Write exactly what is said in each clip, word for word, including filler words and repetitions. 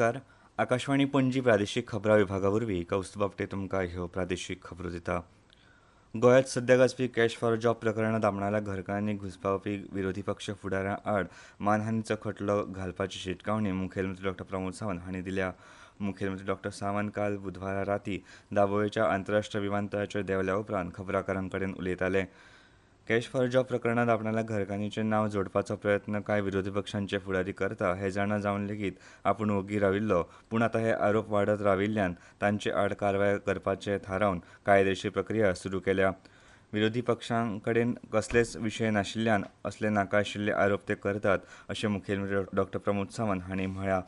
नमस्कार. आकाशवाणी पणजी प्रादेशीक खबरां विभागा वरवीं कौस्तुभ आपटे तुमकां ह्यो प्रादेशीक खबरो दिता. गोंयांत सध्या गाजपी कॅश फॉर जॉब प्रकरणांत आपणाल्या घरकान्नीक घुसपावपी विरोधी पक्ष फुडाऱ्यां आड मानहानीचो खटलो घालपाची शिटकावणी मुखेलमंत्री डॉक्टर प्रमोद सावंत हांणी दिल्या. मुखेलमंत्री डॉक्टर सावंत काल बुधवारा राती दाबोळेच्या आंतरराष्ट्रीय विमानतळाचेर देंवल्या उपरांत खबराकारां कडेन उलयताले. कॅश फॉर जॉब प्रकरणांत आपणाल्या घरकान्नीचें नांव जोडपाचो प्रयत्न कांय विरोधी पक्षांचे फुडारी करता हें जाणा जावन लेगीत आपूण ओगी राविल्लो, पूण आतां हे आरोप वाडत राविल्ल्यान तांचे आड कारवाय करपाचें थारावन कायदेशीर प्रक्रिया सुरू केल्या. विरोधी पक्षां कडेन कसलेच विशय नाशिल्ल्यान असले नाका आशिल्ले आरोप ते करतात अशें मुखेलमंत्री डॉक्टर प्रमोद सावंत हांणी म्हळां.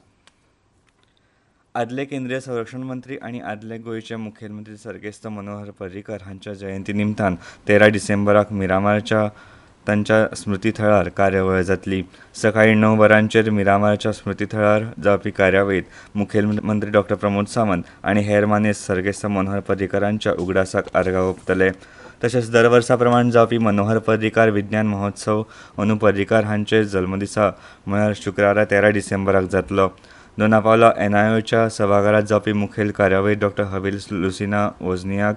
आदले केंद्रीय संरक्षण मंत्री आनी आदले गोंयचे मुखेलमंत्री सर्गेस्त मनोहर पर्रीकर हांच्या जयंती निमतान तेरा डिसेंबराक मिरामारच्या तांच्या स्मृतीथळार कार्यावळ जातली. सकाळीं णव वरांचेर मिरामारच्या स्मृतीथळार जावपी कार्यावळींत मुखेलमंत्री डॉक्टर प्रमोद सावंत आनी हेर मानेस्त सर्गेस्त मनोहर पर्रीकरांच्या उगडासाक आर्गां ओंपतले. तशेंच दर वर्सा प्रमाण जावपी मनोहर पर्रीकार विज्ञान महोत्सव अंदू पर्रीकार हांचे जल्मदिसा म्हळ्यार शुक्रारा तेरा डिसेंबराक जातलो. दोना पावला एनआयओच्या सभाघरांत जावपी मुखेल कार्यावळींत डॉक्टर हबील लुसिना वोझनियाक,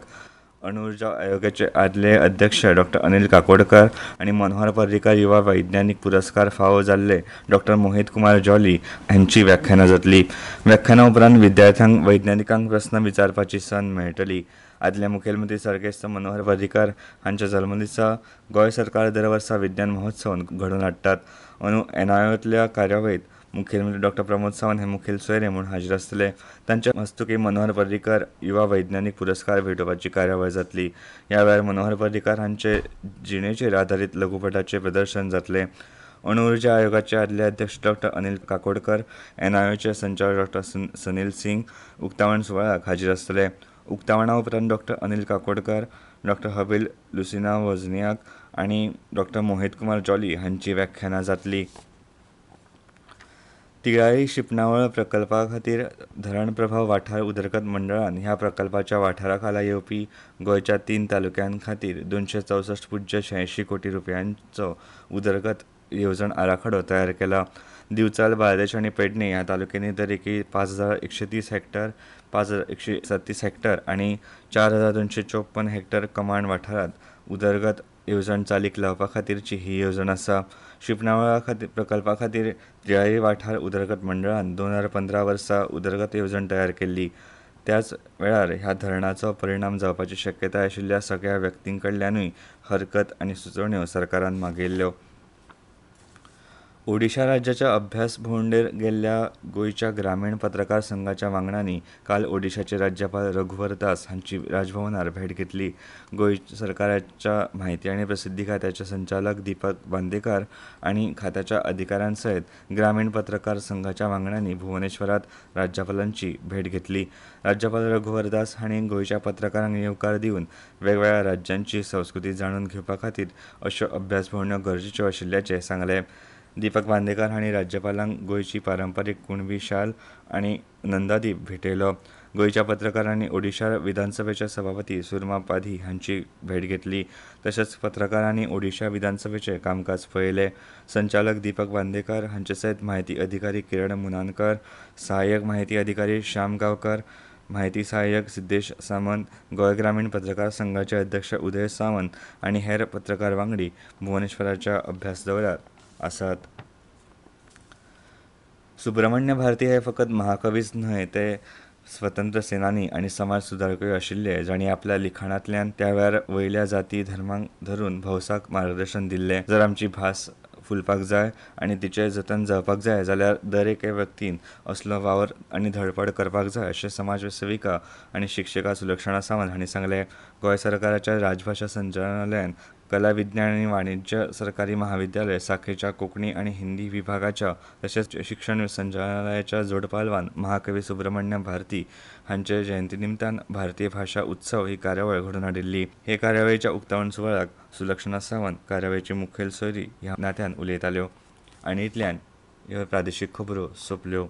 अणुउर्जा आयोगाचे आदले अध्यक्ष डॉक्टर अनिल काकोडकर आनी मनोहर पर्रीकार युवा वैज्ञानीक पुरस्कार फावो जाल्ले डॉक्टर मोहित कुमार जॉली हांची व्याख्यानां जातली. व्याख्याना उपरांत विद्यार्थ्यांक वैज्ञानिकांक प्रस्न विचारपाची संद मेळटली. आदले मुखेलमंत्री सर्गेस्त मनोहर पर्रीकार हांच्या जल्मदिसा गोंय सरकार दर वर्सा विज्ञान महोत्सव घडोवन हाडटात. अंदू एनआयओंतल्या कार्यावळींत मुखेलमंत्री डॉक्टर प्रमोद सावंत हे मुखेल सोयरे म्हूण हाजीर आसतले. तांच्या हस्तुकीं मनोहर पर्रीकर युवा वैज्ञानीक पुरस्कार भेटोवपाची कार्यावळ जातली. ह्या वेळार मनोहर पर्रीकर हांचे जिणेचेर आदारीत लघुपटाचें प्रदर्शन जातलें. अणुउर्जा आयोगाचे आदले अध्यक्ष डॉक्टर अनिल काकोडकर, एनआयओचे संचालक डॉक्टर सनील सिंग उक्तावण सुवाळ्याक हाजीर आसतले. उक्तावणा उपरांत डॉक्टर अनिल काकोडकर, डॉक्टर हबील लुसिना वोझनियाक आनी डॉक्टर मोहित कुमार जॉली हांची व्याख्यानां जातली. तिळारी शिंपणावळ प्रकल्पा खातीर धरण प्रभाव वाठार उदरगत मंडळान ह्या प्रकल्पाच्या वाठारा खाला येवपी गोंयच्या तीन तालुक्यां खातीर दोनशे चौसश्ट पुज्य शहाऐंशी कोटी रुपयांचो उदरगत येवजण आराखडो तयार केला. दिवचल, बार्देश आनी पेडणे ह्या तालुक्यांनी दरेकी पांच हजार एकशे तीस हॅक्टर, पांच हजार एकशे सत्तीस हॅक्टर आनी चार हजार दोनशे चोपन हॅक्टर कमांड वाठारांत उदरगत येवजण चालीक लावपा खातीरची ही येवजण आसा. शिंपणावळ खातीर प्रकल्पा खातीर तिळारी वाठार उदरगत मंडळान दोन हजार पंदरा वर्सा उदरगत येवजण तयार केल्ली. त्याच वेळार ह्या धरणाचो परिणाम जावपाची शक्यताय आशिल्ल्या सगळ्या व्यक्तीं कडल्यानूय हरकत आनी सुचोवण्यो सरकारान मागयल्ल्यो. ओडिशा राज्याच्या अभ्यास भोंवडेर गेल्ल्या गोंयच्या ग्रामीण पत्रकार संघाच्या वांगड्यांनी काल ओडिशाचे राज्यपाल रघुवर दास हांची राजभवनार भेट घेतली. गोंय सरकाराच्या म्हायती आनी प्रसिद्धी खात्याचे संचालक दीपक बांदेकार आनी खात्याच्या अधिकाऱ्यां सयत ग्रामीण पत्रकार संघाच्या वांगड्यांनी भुवनेश्वरांत राज्यपालांची भेट घेतली. राज्यपाल रघुवर दास हांणी गोंयच्या पत्रकारांक येवकार दिवन वेगवेगळ्या राज्यांची संस्कृती जाणून घेवपा खातीर अश्यो अभ्यास भोंवड्यो गरजेच्यो आशिल्ल्याचें सांगलें. दीपक बांदेकार हांणी राज्यपालांक गोंयची पारंपारीक कुणबी शाल आनी नंदादीप भेटयलो. गोंयच्या पत्रकारांनी ओडिशा विधानसभेचे सभापती सुरमा पाधी हांची भेट घेतली. तशेंच पत्रकारांनी ओडिशा विधानसभेचें कामकाज पळयलें. संचालक दीपक बांदेकार हांचे सयत म्हायती अधिकारी किरण मुनानकर, सहाय्यक म्हायती अधिकारी श्याम गांवकर, म्हायती सहाय्यक सिद्धेश सामंत, गोंय ग्रामीण पत्रकार संघाचे अध्यक्ष उदय सावंत आनी हेर पत्रकार वांगडी भुवनेश्वराच्या अभ्यास दौऱ्यार आसात. सुब्रमण्य भारती हे फकत महाकवीच न्हय, ते स्वतंत्र सेनानी आनी समाज सुदारकूय आशिल्ले, जांणी आपल्या लिखाणांतल्यान त्या वेळार वयल्या जाती धर्मांक धरून भौसाक मार्गदर्शन दिल्लें. जर आमची भास फुलपाक जाय आनी तिचें जतन जावपाक जाय जाल्यार दर एके व्यक्तीन असलो वावर आनी धडपड करपाक जाय अशें समाज सेविका आनी शिक्षिका सुलक्षणा सावंत हांणी सांगलें. गोंय सरकाराच्या राजभाशा संचालनालयान कला, विज्ञान आनी वाणिज्य सरकारी महाविद्यालय साखेच्या कोंकणी आनी हिंदी विभागाच्या तशेंच शिक्षण संचालनालयाच्या जोडपालवान महाकवी सुब्रमण्य भारती हांचे जयंती निमतान भारतीय भाशा उत्सव ही कार्यावळ घडोवन हाडिल्ली. हे कार्यावळीच्या उक्तावण सुवाळ्याक सुलक्षणा सावंत कार्यावळीची मुखेल सोयरी ह्या नात्यान उलयताल्यो. आनी इतल्यान ह्यो प्रादेशीक खबरो सोंपल्यो.